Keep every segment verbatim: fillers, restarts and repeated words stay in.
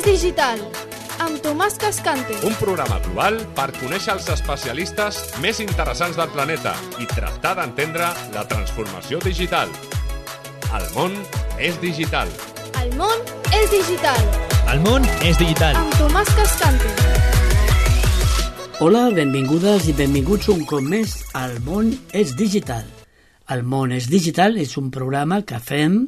digital, amb Tomàs Cascante. Un programa global per conèixer els especialistes més interessants del planeta i tractar d'entendre la transformació digital. El món és digital. El món és digital. El món és digital. Amb Tomàs Cascante. Hola, benvingudes i benvinguts un cop més al món és digital. El món és digital és un programa que fem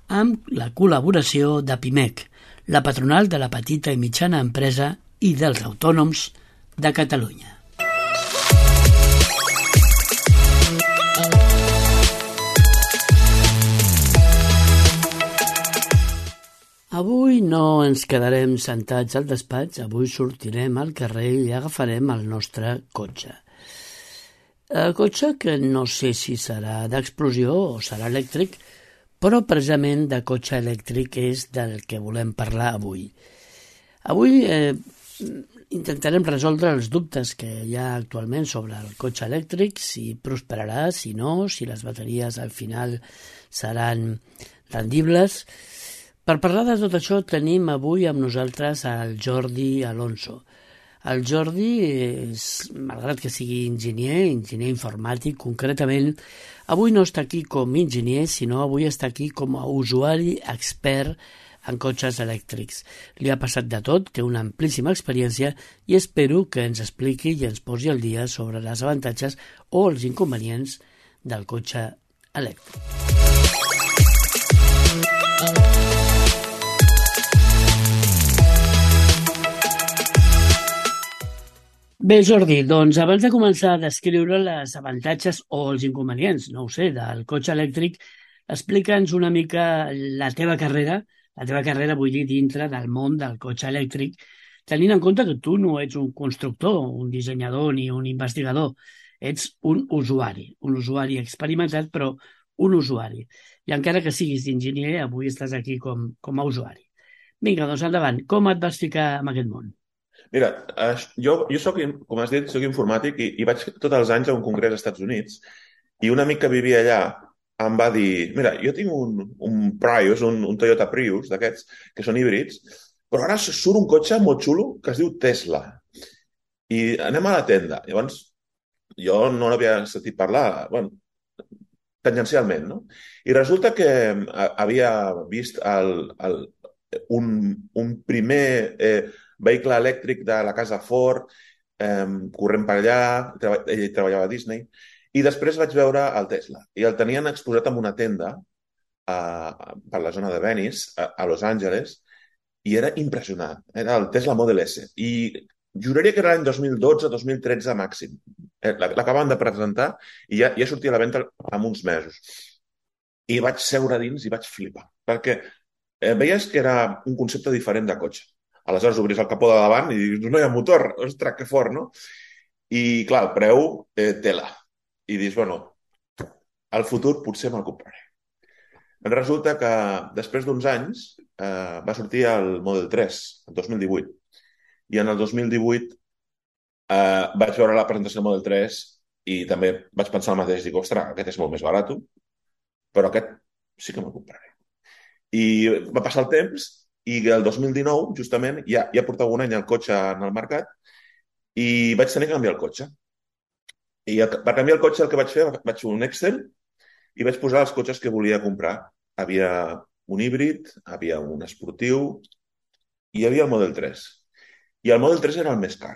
amb la col·laboració de Pimec, la patronal de la petita i mitjana empresa i dels autònoms de Catalunya. Avui no ens quedarem sentats al despatx, avui sortirem al carrer i agafarem el nostre cotxe. El cotxe que no sé si serà d'explosió o serà elèctric, però precisament de cotxe elèctric és del que volem parlar avui. Avui eh, intentarem resoldre els dubtes que hi ha actualment sobre el cotxe elèctric, si prosperarà, si no, si les bateries al final seran rendibles. Per parlar de tot això tenim avui amb nosaltres el Jordi Alonso. El Jordi, és, malgrat que sigui enginyer, enginyer informàtic concretament, avui no està aquí com enginyer, sinó avui està aquí com a usuari expert en cotxes elèctrics. Li ha passat de tot, té una amplíssima experiència i espero que ens expliqui i ens posi al dia sobre les avantatges o els inconvenients del cotxe elèctric. Bé, Jordi, doncs abans de començar a descriure les avantatges o els inconvenients, no ho sé, del cotxe elèctric, explica'ns una mica la teva carrera, la teva carrera vull dir dintre del món del cotxe elèctric, tenint en compte que tu no ets un constructor, un dissenyador ni un investigador, ets un usuari, un usuari experimentat, però un usuari. I encara que siguis enginyer, avui estàs aquí com, com a usuari. Vinga, doncs endavant, com et vas ficar en aquest món? Mira, jo, jo soc, com has dit, soc informàtic i, i vaig tots els anys a un congrés als Estats Units i un amic que vivia allà em va dir, mira, jo tinc un, un Prius, un, un Toyota Prius d'aquests, que són híbrids, però ara surt un cotxe molt xulo que es diu Tesla. I anem a la tenda. Llavors, jo no l'havia sentit parlar, bueno, tangencialment, no? I resulta que havia vist el, el, un, un primer... Eh, vehicle elèctric de la casa Ford, eh, corrent per allà, treba, ell treballava a Disney, i després vaig veure el Tesla. I el tenien exposat en una tenda eh, per la zona de Venice, a, a Los Angeles, i era impressionant. Era el Tesla Model S. I juraria que era l'any dos mil dotze dos mil tretze màxim. L'acaben de presentar i ja, ja sortia a la venda en uns mesos. I vaig seure dins i vaig flipar, perquè eh, veies que era un concepte diferent de cotxe. Aleshores obris el capó de davant i dius, no hi ha motor, ostres, que fort, no? I, clar, el preu, eh, tela. I dius, bueno, al futur potser me'l compraré. Resulta que després d'uns anys eh, va sortir el Model tres, el dos mil divuit. I en el dos mil divuit eh, vaig veure la presentació del Model tres i també vaig pensar el mateix, dic, ostres, aquest és molt més barat, però aquest sí que me'l compraré. I va passar el temps i el dos mil dinou, justament, ja, ja portava un any el cotxe en el mercat i vaig tenir que canviar el cotxe. I el, per canviar el cotxe el que vaig fer, vaig fer un Excel i vaig posar els cotxes que volia comprar. Havia un híbrid, havia un esportiu i hi havia el Model tres. I el Model tres era el més car.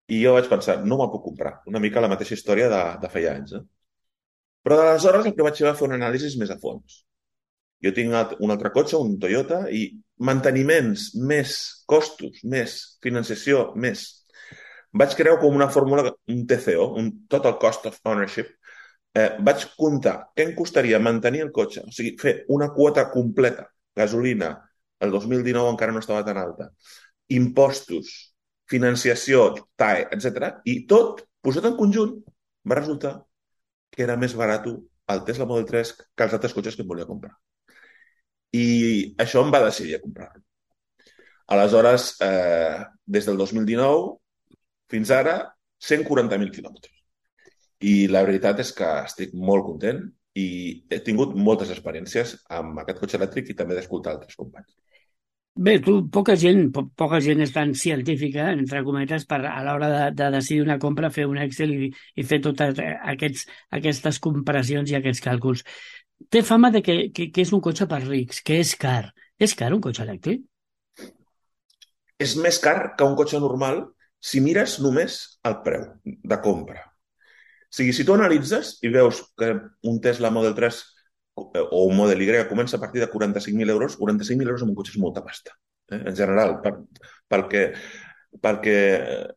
I jo vaig pensar, no me'l puc comprar. Una mica la mateixa història de, de feia anys. Eh? Però d'aleshores el que vaig fer va fer un anàlisi més a fons. Jo tinc un altre cotxe, un Toyota, i manteniments més costos, més financiació, més. Vaig crear com una fórmula, un T C O, un Total Cost of Ownership. Eh, vaig comptar què em costaria mantenir el cotxe, o sigui, fer una quota completa, gasolina, el dos mil dinou encara no estava tan alta, impostos, financiació, T A E, etcètera, i tot, posat en conjunt, va resultar que era més barat el Tesla Model tres que els altres cotxes que em volia comprar. I això em va decidir a comprar-lo. Aleshores, eh, des del dos mil dinou fins ara, cent quaranta mil quilòmetres. I la veritat és que estic molt content i he tingut moltes experiències amb aquest cotxe elèctric i també d'escoltar altres companys. Bé, tu, poca gent, po poca gent és tan científica, entre cometes, per a l'hora de, de decidir una compra, fer un Excel i, i fer totes aquests, aquestes comparacions i aquests càlculs. Té fama de que, que, que és un cotxe per rics, que és car. És car un cotxe elèctric? És més car que un cotxe normal si mires només el preu de compra. O sigui, si tu analitzes i veus que un Tesla Model tres o un Model Y comença a partir de quaranta-cinc mil euros, quaranta-cinc mil euros en un cotxe és molta pasta, eh? En general, per, perquè, perquè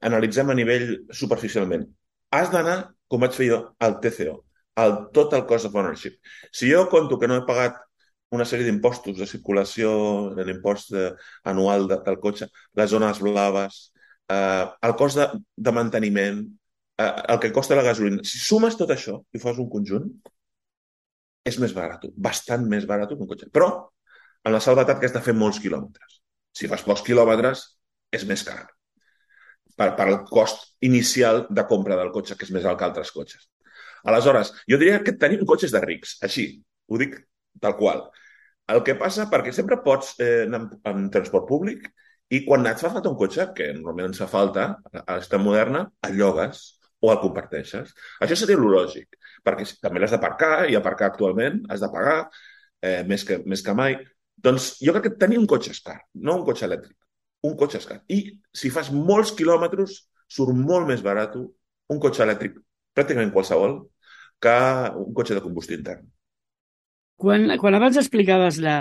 analitzem a nivell superficialment. Has d'anar, com vaig fer jo, al T C O, al Total Cost of Ownership. Si jo conto que no he pagat una sèrie d'impostos de circulació, l'impost anual de, del cotxe, les zones blaves, eh, el cost de, de manteniment, eh, el que costa la gasolina. Si sumes tot això i fas un conjunt, és més barat, bastant més barat que un cotxe. Però, en la salvetat que has de fer molts quilòmetres. Si fas pocs quilòmetres, és més car. Per, per el cost inicial de compra del cotxe, que és més alt que altres cotxes. Aleshores, jo diria que tenim cotxes de rics, així, ho dic tal qual. El que passa, perquè sempre pots eh, anar en, en transport públic i quan et fa falta un cotxe, que normalment ens fa falta a l'esta moderna, el llogues o el comparteixes. Això seria lo lògic, perquè també l'has d'aparcar i aparcar actualment has de pagar eh, més, que, més que mai. Doncs jo crec que tenir un cotxe és car, no un cotxe elèctric. Un cotxe és car. I si fas molts quilòmetres, surt molt més barat un cotxe elèctric, pràcticament qualsevol, que un cotxe de combustió intern. Quan, quan abans explicaves la,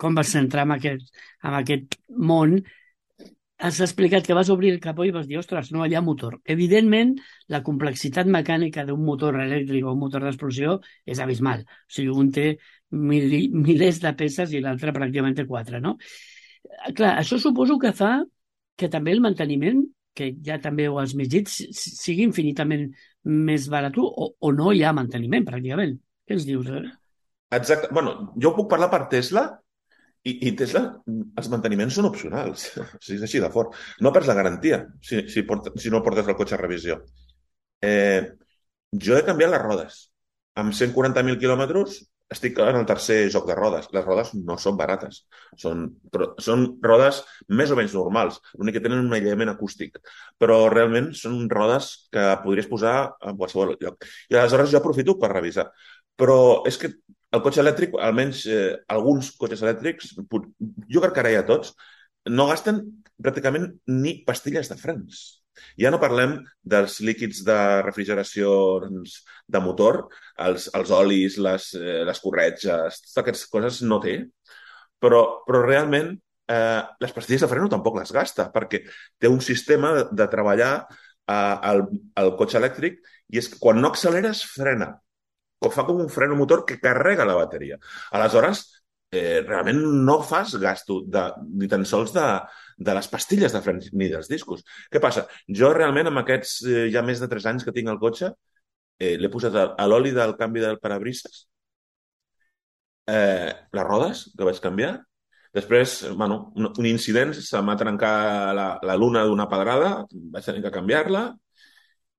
com vas entrar en aquest, en aquest món, has explicat que vas obrir el capó i vas dir, ostres, no, allà motor. Evidentment, la complexitat mecànica d'un motor elèctric o un motor d'explosió és abismal. O sigui, un té mil, milers de peces i l'altre pràcticament té quatre, no? Clar, això suposo que fa que també el manteniment, que ja també ho has més dit, sigui infinitament més barat o, o no hi ha manteniment, pràcticament. Què ens dius? Eh? Exacte. Bueno, jo puc parlar per Tesla i, i Tesla, els manteniments són opcionals. O sigui, és així de fort. No perds la garantia si, si, porta, si no portes el cotxe a revisió. Eh, jo he canviat les rodes. Amb cent quaranta mil quilòmetres estic en el tercer joc de rodes. Les rodes no són barates. Són, són rodes més o menys normals. L'únic que tenen un aïllament acústic. Però realment són rodes que podries posar en qualsevol lloc. I aleshores jo aprofito per revisar. Però és que el cotxe elèctric, almenys eh, alguns cotxes elèctrics, jo crec que ara ja tots, no gasten pràcticament ni pastilles de frens. Ja no parlem dels líquids de refrigeració de motor, els, els olis, les, eh, les corretges, totes aquestes coses no té, però, però realment eh, les pastilles de freno tampoc les gasta, perquè té un sistema de, de treballar eh, al, al cotxe elèctric i és que quan no acceleres, frena. Fa com un freno motor que carrega la bateria. Aleshores, eh, realment no fas gasto de, ni tan sols de, de les pastilles de frens ni dels discos. Què passa? Jo realment amb aquests eh, ja més de tres anys que tinc el cotxe eh, l'he posat a, a l'oli del canvi del parabrises, eh, les rodes que vaig canviar. Després, bueno, un, un incident, se m'ha trencat la, la luna d'una pedrada, vaig tenir que canviar-la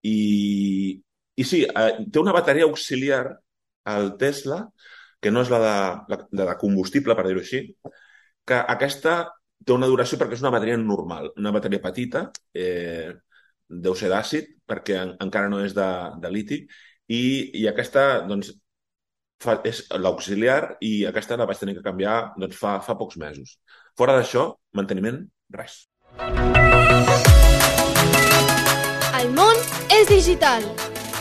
i... I sí, eh, té una bateria auxiliar al Tesla, que no és la de, la, la de combustible, per dir-ho així, que aquesta té una duració perquè és una bateria normal, una bateria petita, eh, deu ser d'àcid, perquè en, encara no és de, de liti, i, i aquesta, doncs, fa, és l'auxiliar, i aquesta la vaig tenir que canviar doncs, fa, fa pocs mesos. Fora d'això, manteniment, res. El món és digital.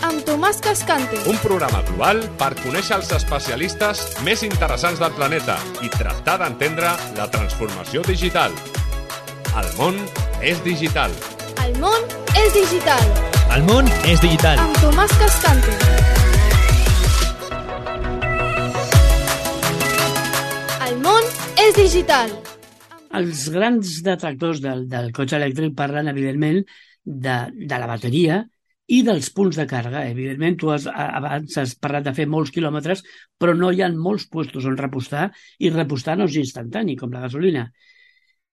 Amb Tomàs Cascante. Un programa global per conèixer els especialistes més interessants del planeta i tractar d'entendre la transformació digital. El món és digital. El món és digital. El món és digital. Amb Tomàs Cascante. El món és digital. Els grans detractors del, del cotxe elèctric parlen, evidentment, de, de la bateria i dels punts de càrrega. Evidentment, tu has, abans has parlat de fer molts quilòmetres, però no hi ha molts puestos on repostar, i repostar no és instantani, com la gasolina.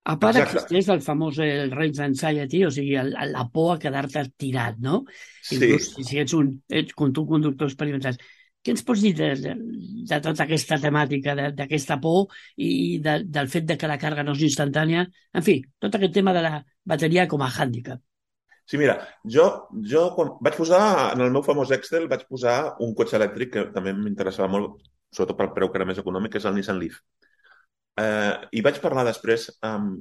A part, Exacte. existeix el famós el range anxiety, o sigui, el, la por a quedar-te tirat, no? Sí. Inclús si ets un, ets un conductor experimentat. Què ens pots dir de, de, de tota aquesta temàtica, de- d'aquesta por i de, del fet de que la càrrega no és instantània? En fi, tot aquest tema de la bateria com a hàndicap. Sí, mira, jo, jo quan vaig posar, en el meu famós Excel, vaig posar un cotxe elèctric que també m'interessava molt, sobretot pel preu que era més econòmic, que és el Nissan Leaf. Eh, I vaig parlar després amb,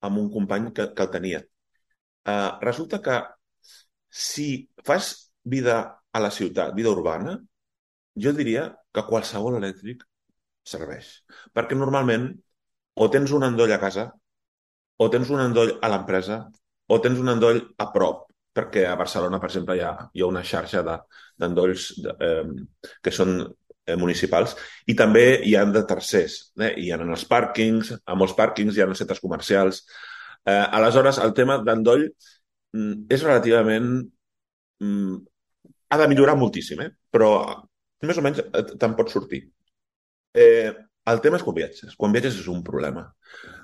amb un company que, que el tenia. Eh, resulta que si fas vida a la ciutat, vida urbana, jo diria que qualsevol elèctric serveix. Perquè normalment o tens un endoll a casa, o tens un endoll a l'empresa, o tens un endoll a prop, perquè a Barcelona, per exemple, hi ha, hi ha una xarxa de- d'endolls de, eh, que són eh, municipals, i també hi ha de tercers. Eh? Hi ha en els pàrquings, a molts pàrquings hi ha en els centres comercials. Eh, aleshores, el tema d'endoll mm, és relativament... Mm, ha de millorar moltíssim, eh? Però més o menys eh, te'n pots sortir. Eh, el tema és quan viatges. Quan viatges és un problema.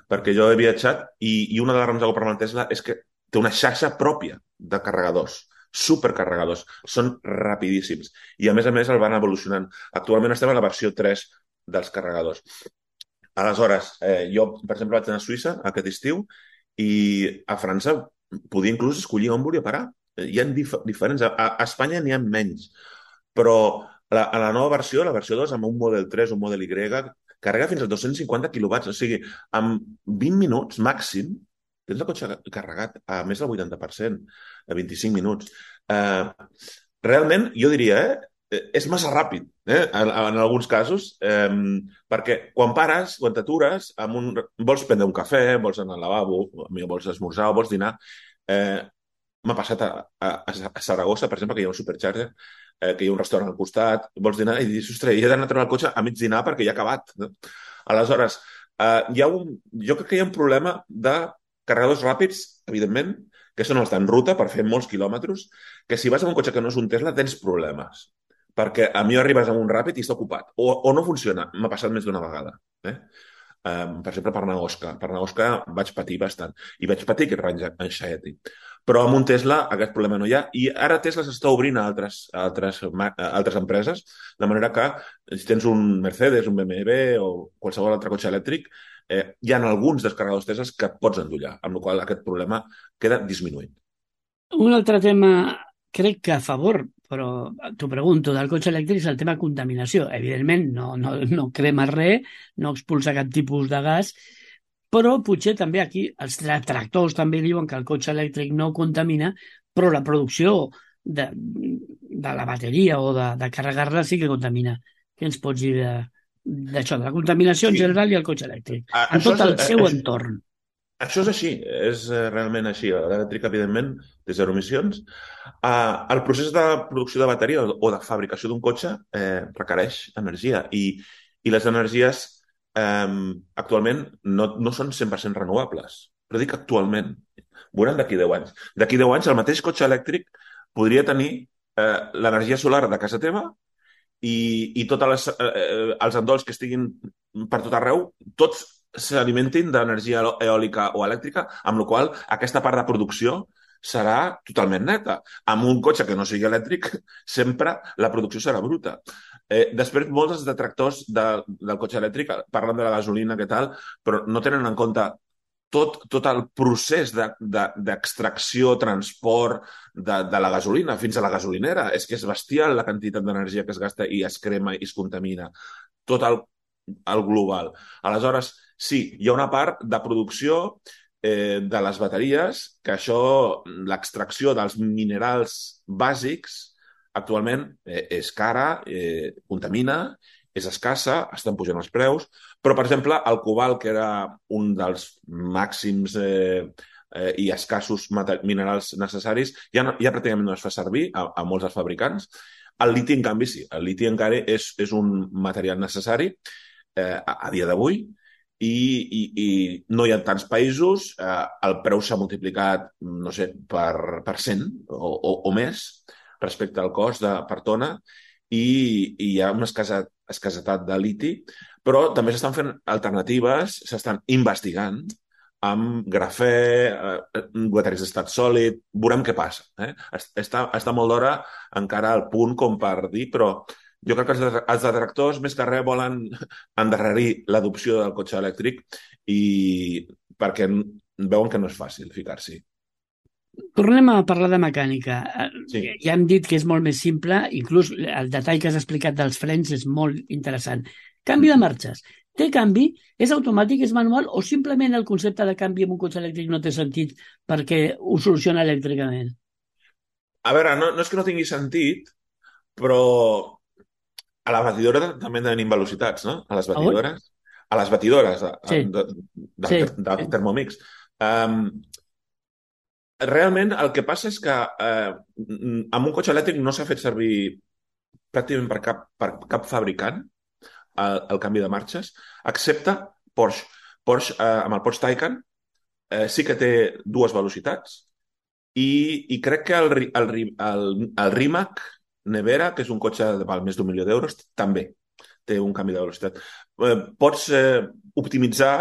Perquè jo he viatjat i, i una de les raons de comprar-me el Tesla és que té una xarxa pròpia de carregadors, supercarregadors. Són rapidíssims. I a més a més el van evolucionant. Actualment estem a la versió tres dels carregadors. Aleshores, eh, jo, per exemple, vaig anar a Suïssa aquest estiu i a França podia inclús escollir on volia parar. Eh, Hi ha dif diferents. A, a Espanya n'hi ha menys. Però la, a la nova versió, la versió dos, amb un Model tres, un Model Y, carrega fins a dos-cents cinquanta quilowatts. O sigui, amb vint minuts màxim tens el cotxe carregat a més del vuitanta per cent, a vint-i-cinc minuts. Eh, realment, jo diria, eh, eh, és massa ràpid, eh, en, en alguns casos, eh, perquè quan pares, quan t'atures, amb un, vols prendre un cafè, vols anar al lavabo, vols esmorzar o vols dinar, eh, m'ha passat a, a, a Saragossa, per exemple, que hi ha un supercharger, eh, que hi ha un restaurant al costat, vols dinar i dius, ostres, he d'anar a treure el cotxe a mig dinar perquè ja ha acabat. No? Aleshores, eh, hi ha un, jo crec que hi ha un problema de carregadors ràpids, evidentment, que són els d'en ruta per fer molts quilòmetres, que si vas amb un cotxe que no és un Tesla tens problemes. Perquè a mi arribes amb un ràpid i està ocupat. O, o no funciona. M'ha passat més d'una vegada. Eh? Um, per exemple, per anar a Osca. Per anar a Osca vaig patir bastant. I vaig patir aquest range anxiety. Però amb un Tesla aquest problema no hi ha. I ara Tesla s'està obrint a altres, a altres, a altres empreses, de manera que si tens un Mercedes, un B M W o qualsevol altre cotxe elèctric, eh, hi ha alguns descarregadors Tesla que pots endollar, amb la qual cosa aquest problema queda disminuït. Un altre tema, crec que a favor, però t'ho pregunto, del cotxe elèctric és el tema contaminació. Evidentment, no, no, no crema res, no expulsa cap tipus de gas, però potser també aquí els tractors també diuen que el cotxe elèctric no contamina, però la producció de, de la bateria o de, de carregar-la sí que contamina. Què ens pots dir d'això, de, de la contaminació Sí. en general i el cotxe elèctric? A- En això tot el és- seu això- entorn. Això és així, és eh, realment així. L'elèctrica, evidentment, té zero emissions. Uh, el procés de producció de bateria o de fabricació d'un cotxe eh, requereix energia i, i les energies eh, actualment no, no són cent per cent renovables. Però dic actualment. Veuran d'aquí deu anys. D'aquí deu anys el mateix cotxe elèctric podria tenir eh, l'energia solar de casa teva i, i tots les, eh, els endolls que estiguin per tot arreu, tots s'alimentin d'energia eòlica o elèctrica, amb la qual cosa aquesta part de producció serà totalment neta. Amb un cotxe que no sigui elèctric, sempre la producció serà bruta. Eh, després, molts dels detractors de, del cotxe elèctric parlen de la gasolina, què tal, però no tenen en compte tot, tot el procés d'extracció, de, de, transport de, de la gasolina fins a la gasolinera. És que és bestial la quantitat d'energia que es gasta i es crema i es contamina. Tot el, el global. Aleshores, sí, hi ha una part de producció eh, de les bateries que això, l'extracció dels minerals bàsics, actualment eh, és cara, eh, contamina, és escassa, estan pujant els preus, però, per exemple, el cobalt, que era un dels màxims eh, eh, i escassos minerals necessaris, ja, no, ja pràcticament no es fa servir a, a molts dels fabricants. El liti, en canvi, sí. El liti encara és, és un material necessari eh, a, a dia d'avui i, i, i no hi ha tants països. Eh, el preu s'ha multiplicat, no sé, per, per cent o, o, o més respecte al cost de, per tona i, i hi ha una escasa, escasetat de liti, però també s'estan fent alternatives, s'estan investigant amb grafè, eh, bateries d'estat sòlid, veurem què passa. Eh? Està, està molt d'hora encara al punt com per dir, però Jo crec que els, de- els detractors, més que res, volen endarrerir l'adopció del cotxe elèctric i perquè veuen que no és fàcil ficar-s'hi. Tornem a parlar de mecànica. Sí. Eh, Ja hem dit que és molt més simple, inclús el detall que has explicat dels frens és molt interessant. Canvi de marxes. Té canvi? És automàtic, és manual o simplement el concepte de canvi en un cotxe elèctric no té sentit perquè ho soluciona elèctricament? A veure, no, no és que no tingui sentit, però a la batidora també tenim velocitats, no? A les A on? batidores. A les batidores de, Sí, de, del, sí, ter- del sí. Thermomix. Um, realment el que passa és que eh, amb un cotxe elèctric no s'ha fet servir pràcticament per cap, per cap fabricant el, el canvi de marxes, excepte Porsche. Porsche, eh, amb el Porsche Taycan, eh, sí que té dues velocitats i, i crec que el, Ri- el, Ri- el, el Rimac Nevera, que és un cotxe de val més d'un milió d'euros, també té un canvi de velocitat. Eh, pots eh, optimitzar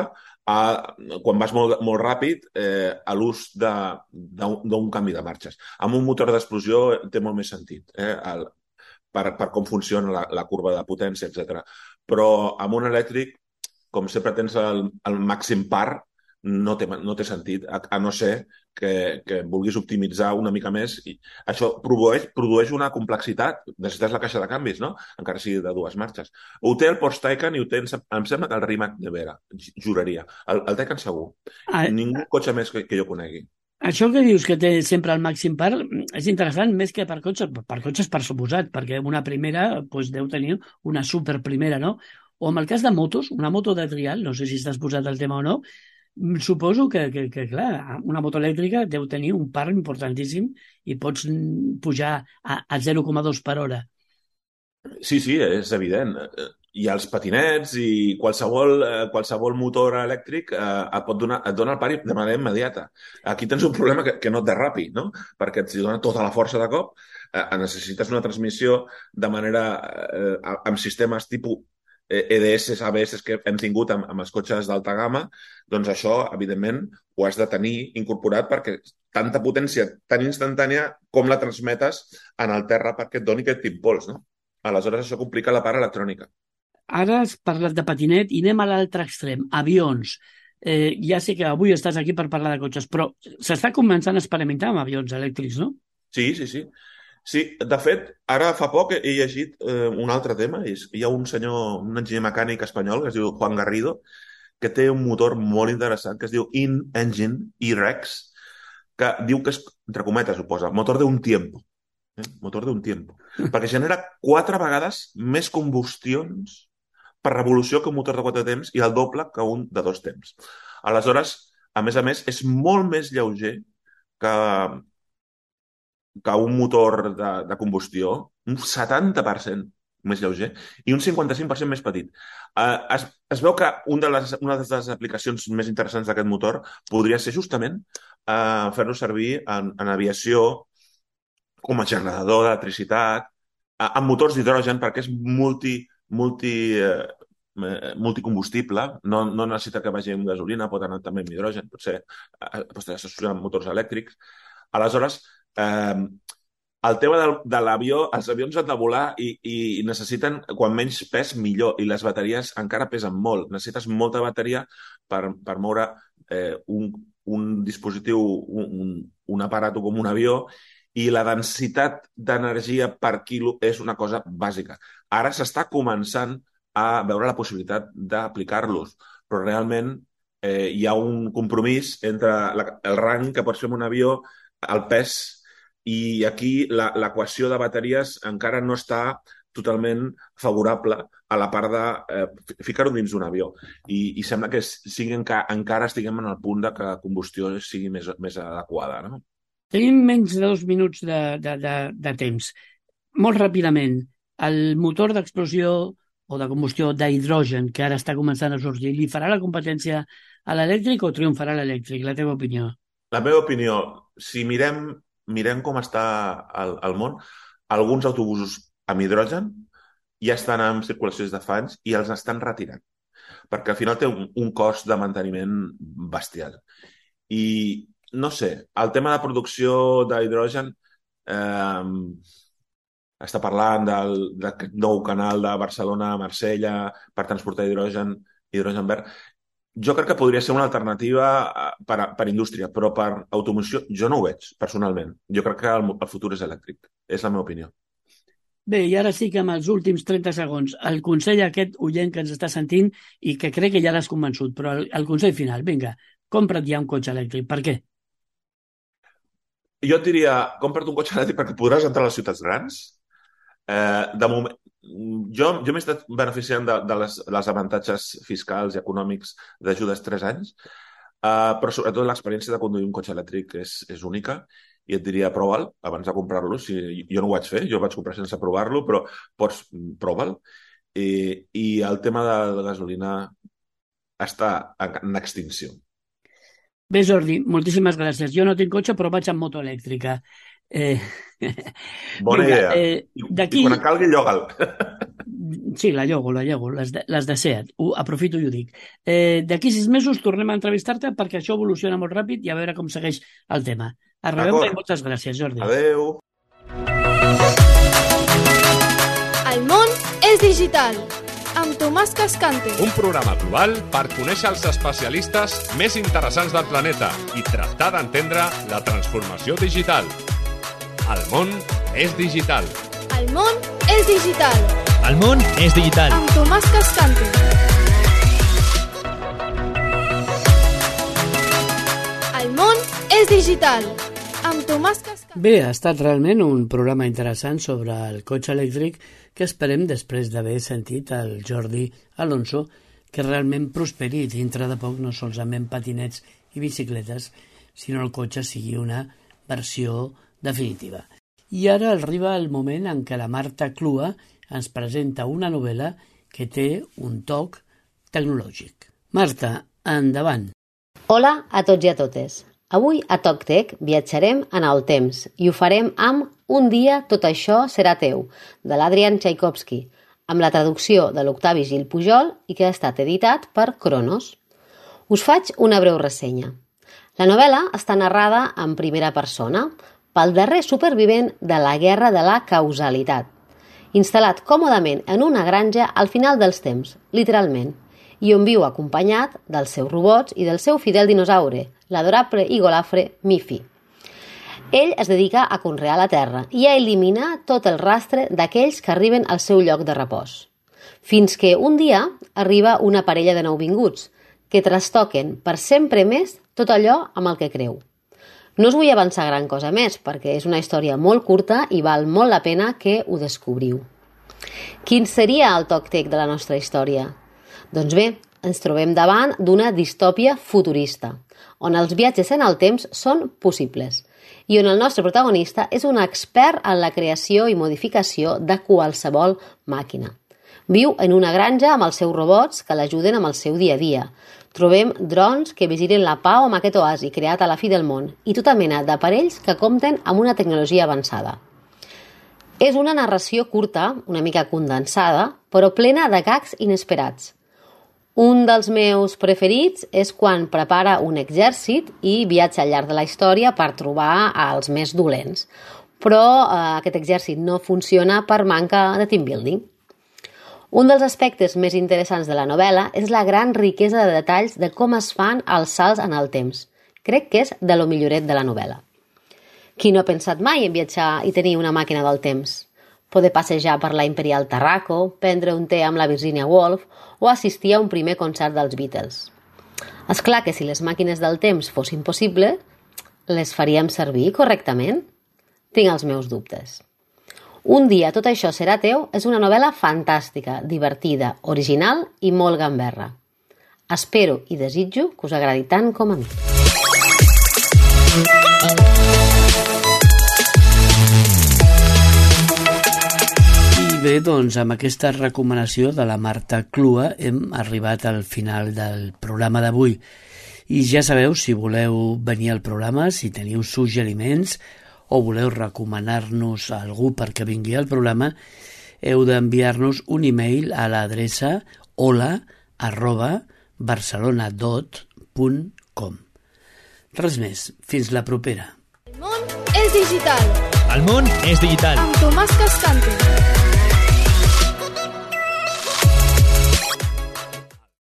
a, quan vas molt, molt ràpid eh, a l'ús de- d'un d'un canvi de marxes. Amb un motor d'explosió té molt més sentit, eh, el, per, per com funciona la, la curva de potència, etcètera. Però amb un elèctric, com sempre tens el, el màxim par, no té, no té sentit, a, a no ser que, que vulguis optimitzar una mica més. I això produeix, produeix una complexitat. Necessites la caixa de canvis, no? Encara sigui de dues marxes. Ho té el Porsche Taycan i ho té, em sembla que el Rimac Nevera, juraria. El, el Taycan segur. Ah, Ningú cotxe més que, que jo conegui. això que dius que té sempre el màxim par és interessant més que per cotxes, per cotxes per suposat, perquè una primera doncs, deu tenir una super primera, no? O en el cas de motos, una moto de trial, no sé si estàs posat al tema o no, mm, suposo que, que, que clar, una moto elèctrica deu tenir un par importantíssim i pots mm, pujar a, a zero coma dos per hora. Sí, sí, és evident. I els patinets i qualsevol, eh, qualsevol motor elèctric eh, et, pot donar, et dona el pari de manera immediata. Aquí tens un problema que, que no et derrapi, no? Perquè et dona tota la força de cop, eh, necessites una transmissió de manera eh, amb sistemes tipus eh, E D S, A B S que hem tingut amb, amb els cotxes d'alta gamma, doncs això, evidentment, ho has de tenir incorporat perquè tanta potència tan instantània com la transmetes en el terra perquè et doni aquest impuls, no? Aleshores, això complica la part electrònica. Ara has parlat de patinet i anem a l'altre extrem, avions. Eh, ja sé que avui estàs aquí per parlar de cotxes, però s'està començant a experimentar amb avions elèctrics, no? Sí, sí, sí. Sí, de fet, ara fa poc he llegit eh, un altre tema. És, hi ha un senyor, un enginyer mecànic espanyol que es diu Juan Garrido, que té un motor molt interessant que es diu In-Engine E-Rex, que diu que és, entre cometes, ho posa, motor de un tiempo. Eh? Motor de un tiempo. Perquè genera quatre vegades més combustions per revolució que un motor de quatre temps i el doble que un de dos temps. Aleshores, a més a més, és molt més lleuger que, que un motor de, de combustió, un setanta per cent més lleuger i un cinquanta-cinc per cent més petit. Uh, es, es veu que un de les, una de les aplicacions més interessants d'aquest motor podria ser justament uh, fer-lo servir en, en aviació com a generador d'electricitat, uh, amb motors d'hidrogen perquè és multi, multi, uh, multicombustible, no, no necessita que vagi amb gasolina, pot anar també amb hidrogen, potser uh, pot associar amb motors elèctrics. Aleshores, eh, el tema del, de l'avió, els avions han de volar i, i necessiten, quan menys pes, millor. I les bateries encara pesen molt. Necessites molta bateria per, per moure eh, un, un dispositiu, un, un, un aparato com un avió, i la densitat d'energia per quilo és una cosa bàsica. Ara s'està començant a veure la possibilitat d'aplicar-los, però realment eh, hi ha un compromís entre la, el rang que pots fer amb un avió, el pes, i aquí l'equació de bateries encara no està totalment favorable a la part de eh, ficar-ho dins d'un avió. I, i sembla que sigui, enca, encara estiguem en el punt de que la combustió sigui més, més adequada, no? Tenim menys de dos minuts de, de, de, de temps. Molt ràpidament, el motor d'explosió o de combustió d'hidrogen que ara està començant a sorgir, li farà la competència a l'elèctric o triomfarà l'elèctric? La teva opinió? La meva opinió, si mirem, mirem com està el, el món, alguns autobusos amb hidrogen ja estan en circulació des de fa anys i els estan retirant, perquè al final té un, un cost de manteniment bestial. I no sé, el tema de producció d'hidrogen eh, està parlant del, d'aquest nou canal de Barcelona a Marsella per transportar hidrogen, hidrogen verd. Jo crec que podria ser una alternativa per, a, per indústria, però per automoció jo no ho veig, personalment. Jo crec que el, el futur és elèctric. És la meva opinió. Bé, i ara sí que amb els últims trenta segons, el consell a aquest oient que ens està sentint i que crec que ja l'has convençut, però el, el consell final, vinga, compra't ja un cotxe elèctric. Per què? Jo et diria, compra't un cotxe elèctric perquè podràs entrar a les ciutats grans. Eh, de moment, jo, jo m'he estat beneficiant de, de les, les avantatges fiscals i econòmics d'ajudes tres anys, eh, però sobretot l'experiència de conduir un cotxe elèctric és, és única i et diria prova'l abans de comprar-lo. Si, jo no ho vaig fer, jo vaig comprar sense provar-lo, però pots prova'l. I, I el tema de, de gasolina està en extinció. Bé, Jordi, moltíssimes gràcies. Jo no tinc cotxe, però vaig amb moto elèctrica. Eh... Bona Vinga, idea. Eh, I quan calgui, lloga'l. Sí, la llogo, la llogo, les de, les de Seat. Ho aprofito i ho dic. Eh, D'aquí sis mesos tornem a entrevistar-te perquè això evoluciona molt ràpid i a veure com segueix el tema. A reveure i moltes gràcies, Jordi. Adéu. El món és digital. Amb Tomàs Cascante. Un programa global per conèixer els especialistes més interessants del planeta i tractar d'entendre la transformació digital. El món és digital. El món és digital. El món és digital. Amb Tomàs Cascante. El món és digital. Amb Tomàs Cascante. Bé, ha estat realment un programa interessant sobre el cotxe elèctric que esperem, després d'haver sentit el Jordi Alonso, que realment prosperi i dintre de poc no solament patinets i bicicletes, sinó el cotxe sigui una versió definitiva. I ara arriba el moment en què la Marta Clua ens presenta una novel·la que té un toc tecnològic. Marta, endavant. Hola a tots i a totes. Avui a TocTec viatjarem en el temps i ho farem amb Un dia tot això serà teu, de l'Adrian Tchaikovsky, amb la traducció de l'Octavi Gil Pujol i que ha estat editat per Cronos. Us faig una breu ressenya. La novel·la està narrada en primera persona pel darrer supervivent de la guerra de la causalitat, instal·lat còmodament en una granja al final dels temps, literalment, i on viu acompanyat dels seus robots i del seu fidel dinosaure, l'adorable i golafre Miffy. Ell es dedica a conrear la terra i a eliminar tot el rastre d'aquells que arriben al seu lloc de repòs. Fins que un dia arriba una parella de nouvinguts que trastoquen per sempre més tot allò amb el que creu. No us vull avançar gran cosa més perquè és una història molt curta i val molt la pena que ho descobriu. Quin seria el TocTec de la nostra història? Doncs bé, ens trobem davant d'una distòpia futurista, on els viatges en el temps són possibles i on el nostre protagonista és un expert en la creació i modificació de qualsevol màquina. Viu en una granja amb els seus robots que l'ajuden amb el seu dia a dia. Trobem drons que vigilen la pau amb aquest oasi creat a la fi del món i tota mena d'aparells que compten amb una tecnologia avançada. És una narració curta, una mica condensada, però plena de gags inesperats. Un dels meus preferits és quan prepara un exèrcit i viatja al llarg de la història per trobar els més dolents. Però eh, aquest exèrcit no funciona per manca de team building. Un dels aspectes més interessants de la novel·la és la gran riquesa de detalls de com es fan els salts en el temps. Crec que és de lo milloret de la novel·la. Qui no ha pensat mai en viatjar i tenir una màquina del temps? Poder passejar per la Imperial Tarraco, prendre un té amb la Virginia Woolf o assistir a un primer concert dels Beatles. És clar que si les màquines del temps fossin possibles, les faríem servir correctament? Tinc els meus dubtes. Un dia tot això serà teu és una novel·la fantàstica, divertida, original i molt gamberra. Espero i desitjo que us agradi tant com a mi. Bé, doncs amb aquesta recomanació de la Marta Clua hem arribat al final del programa d'avui. I ja sabeu, si voleu venir al programa, si teniu suggeriments o voleu recomanar-nos a algú perquè vingui al programa, heu d'enviar-nos un e-mail a l'adreça hola arroba barcelonadot punt com. Res més, fins la propera. El món és digital. El món és digital. Amb Tomàs Cascante.